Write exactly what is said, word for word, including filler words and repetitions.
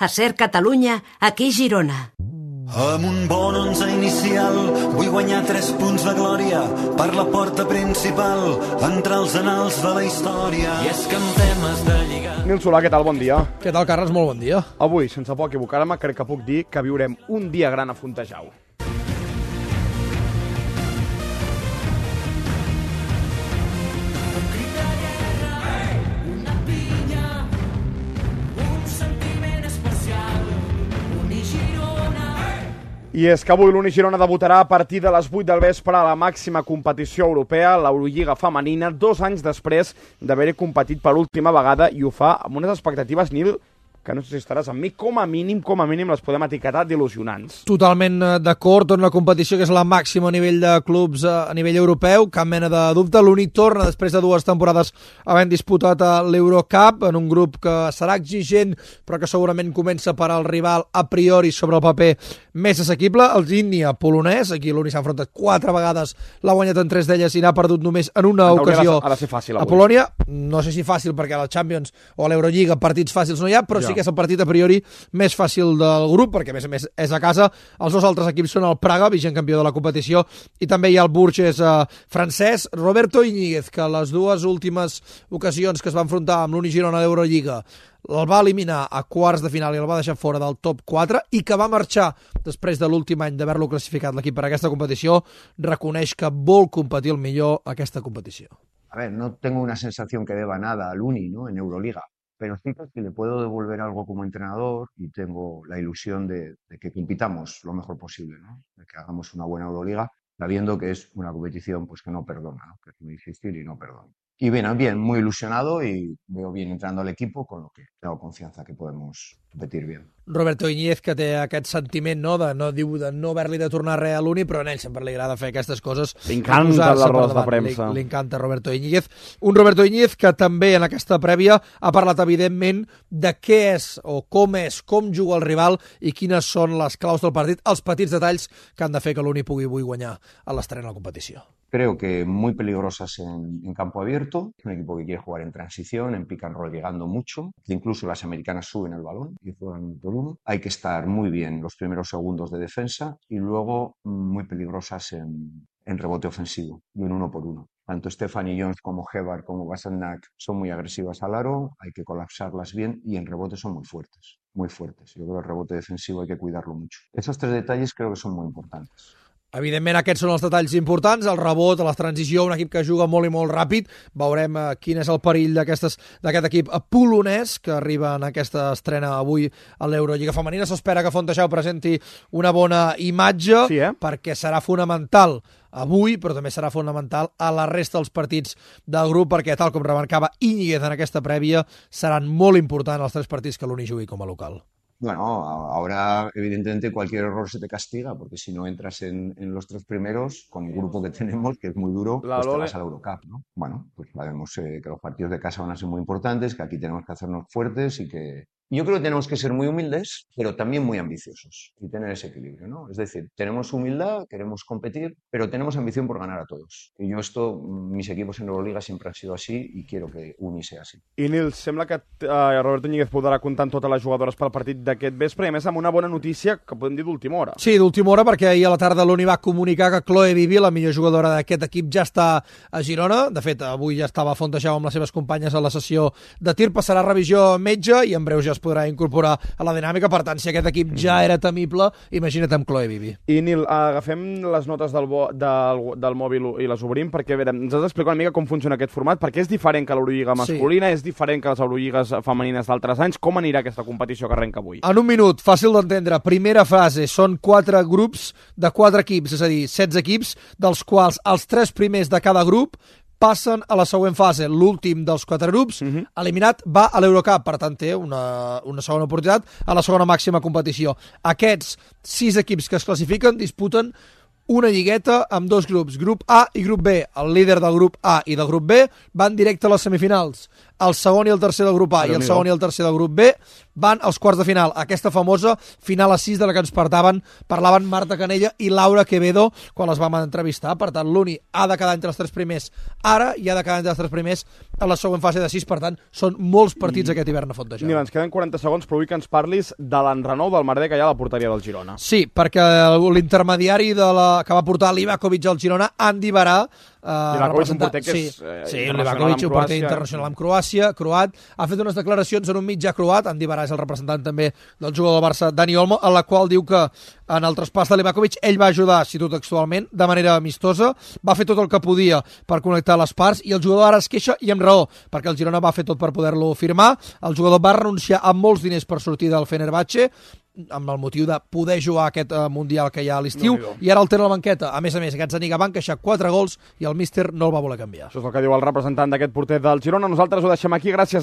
A Ser Catalunya, aquí Girona. Amb un bon onze inicial vull guanyar tres punts de glòria per la porta principal, entrar als anals de la història. I és que en temes de lligar... Nil Solà, què tal? Bon dia. Què tal, Carles? Molt bon dia. Avui, sense por equivocar-me, crec que puc dir que viurem un dia gran a Fontejau. I és que avui l'Uni Girona debutarà a partir de les vuit del vespre a la màxima competició europea, l'Eurolliga femenina, dos anys després d'haver-hi competit per última vegada, i ho fa amb unes expectatives, Nil, que no sé si estaràs amb mi, com a mínim, com a mínim les podem etiquetar d'il·lusionants. Totalment d'acord, en una competició que és la màxima a nivell de clubs a nivell europeu, cap mena de dubte. L'Uni torna després de dues temporades havent disputat l'Eurocup, en un grup que serà exigent, però que segurament comença per al rival a priori sobre el paper més assequible, el Zinnia polonès. Aquí l'Uni s'ha enfrontat quatre vegades, l'ha guanyat en tres d'elles i n'ha perdut només en una ocasió ha de ser fàcil, a Polònia. No sé si fàcil, perquè a la Champions o a l'Eurolliga partits fàcils no hi ha, però ja. Sí que és el partit a priori més fàcil del grup, perquè a més a més és a casa. Els dos altres equips són el Praga, vigent campió de la competició, i també hi ha el Bourges eh, francès, Roberto Iñiguez, que les dues últimes ocasions que es va enfrontar amb l'Uni Girona a l'Eurolliga el va eliminar a quarts de final i el va deixar fora del top quatre, i que va marxar després de l'últim any d'haver-lo classificat l'equip per a aquesta competició, reconeix que vol competir el millor a aquesta competició. A ver, no tengo una sensación que deba nada al Uni, ¿no?, en Euroliga, pero sí que le puedo devolver algo como entrenador y tengo la ilusión de, de que compitamos lo mejor posible, ¿no?, de que hagamos una buena Euroliga, sabiendo que es una competición pues que no perdona, ¿no?, que es muy difícil y no perdona. Y bien, bien, muy ilusionado y veo bien entrando al equipo, con lo que tengo confianza que podemos competir bien. Roberto Iñiguez, que té aquest sentiment, no, de no diu de no haver-li de tornar res a l'Uni, però a ell sempre li agrada fer aquestes coses. Li encanta les rodes de premsa. Li, li encanta Roberto Iñiguez. Un Roberto Iñiguez que també en aquesta prèvia ha parlat, evidentment, de què és o com és, com juga el rival i quines són les claus del partit, els petits detalls que han de fer que l'Uni pugui avui guanyar a l'estrena de la competició. Creo que muy peligrosas en, en campo abierto, un equipo que quiere jugar en transición, en pick and roll llegando mucho, incluso las americanas suben el balón y juegan por uno. Hay que estar muy bien los primeros segundos de defensa y luego muy peligrosas en, en rebote ofensivo y en uno por uno. Tanto Stephanie Jones como Hebar como Basanak son muy agresivas al aro, hay que colapsarlas bien y en rebote son muy fuertes, muy fuertes. Yo creo que el rebote defensivo hay que cuidarlo mucho. Esos tres detalles creo que son muy importantes. Evidentment, aquests són els detalls importants, el rebot, la transició, un equip que juga molt i molt ràpid. Veurem eh, quin és el perill d'aquest equip polonès que arriba en aquesta estrena avui a l'Eurolliga femenina. S'espera que Fontejau presenti una bona imatge, sí, eh? perquè serà fonamental avui, però també serà fonamental a la resta dels partits del grup, perquè, tal com remarcava Iñiguez en aquesta prèvia, seran molt importants els tres partits que l'Uni jugui com a local. Bueno, ahora evidentemente cualquier error se te castiga, porque si no entras en, en los tres primeros, con el grupo que tenemos, que es muy duro, la pues te Lole. vas a la Eurocup, ¿no? Bueno, pues sabemos eh, que los partidos de casa van a ser muy importantes, que aquí tenemos que hacernos fuertes y que... Yo creo que tenemos que ser muy humildes, pero también muy ambiciosos y tener ese equilibrio, ¿no? Es decir, tenemos humildad, queremos competir, pero tenemos ambición por ganar a todos. Y yo esto, mis equipos en Euroliga siempre han sido así y quiero que Uni sea así. I Nil, sembla que uh, Roberto Iñiguez podrà comptar amb totes les jugadores pel partit d'aquest vespre, i a més amb una bona notícia que podem dir d'última hora. Sí, d'última hora, perquè ahir a la tarda l'Uni va comunicar que Chloe Vivi, la millor jugadora d'aquest equip, ja està a Girona. De fet, avui ja estava a Fontejau amb les seves companyes a la sessió de tir, passarà revisió metge i en breu ja es podrà incorporar a la dinàmica. Per tant, si aquest equip ja era temible, imagina't amb Chloe Vivi. I Nil, agafem les notes del, bo, del, del mòbil i les obrim, perquè a veure, ens has d'explicar una mica com funciona aquest format, perquè és diferent que l'Eurolliga masculina, sí. És diferent que les Eurolligues femenines d'altres anys. Com anirà aquesta competició que arrenca avui? En un minut, fàcil d'entendre. Primera fase, són quatre grups de quatre equips, és a dir, setze equips, dels quals els tres primers de cada grup passen a la següent fase. L'últim dels quatre grups, uh-huh. eliminat, va a l'Eurocup, per tant té una, una segona oportunitat a la segona màxima competició. Aquests sis equips que es classifiquen disputen una lligueta amb dos grups, grup A i grup B. El líder del grup A i del grup B van directe a les semifinals. El segon i el tercer del grup A i el segon i el tercer del grup B van als quarts de final. Aquesta famosa final a sis de la que ens parlaven, parlaven Marta Canella i Laura Quevedo quan les vam entrevistar. Per tant, l'Uni ha de quedar entre els tres primers ara i ha de quedar entre els tres primers en la següent fase de sis, per tant, són molts partits I... aquest hivern a Fontejau. Nil, ens queden quaranta segons, però vull que ens parlis de l'enrenou del merder que hi ha a la porteria del Girona. Sí, perquè l'intermediari de la... que va portar l'Ivakovic al Girona, Andy Barà, Uh, Livakovic, un porter que és sí, eh, sí, internacional amb un porter internacional amb Croàcia, croat, ha fet unes declaracions en un mitjà croat, Andy Barà és el representant també del jugador del Barça, Dani Olmo, en la qual diu que en el traspàs de Livakovic ell va ajudar, cito textualment, de manera amistosa, va fer tot el que podia per connectar les parts i el jugador ara es queixa i amb raó, perquè el Girona va fer tot per poder-lo firmar, el jugador va renunciar a molts diners per sortir del Fenerbahçe, amb el motiu de poder jugar aquest uh, Mundial que hi ha a l'estiu, no, i ara el té a la banqueta. A més a més, aquests Zaniga van queixar quatre gols i el míster no el va voler canviar. Això és el que diu el representant d'aquest porter del Girona. Nosaltres ho deixem aquí. Gràcies.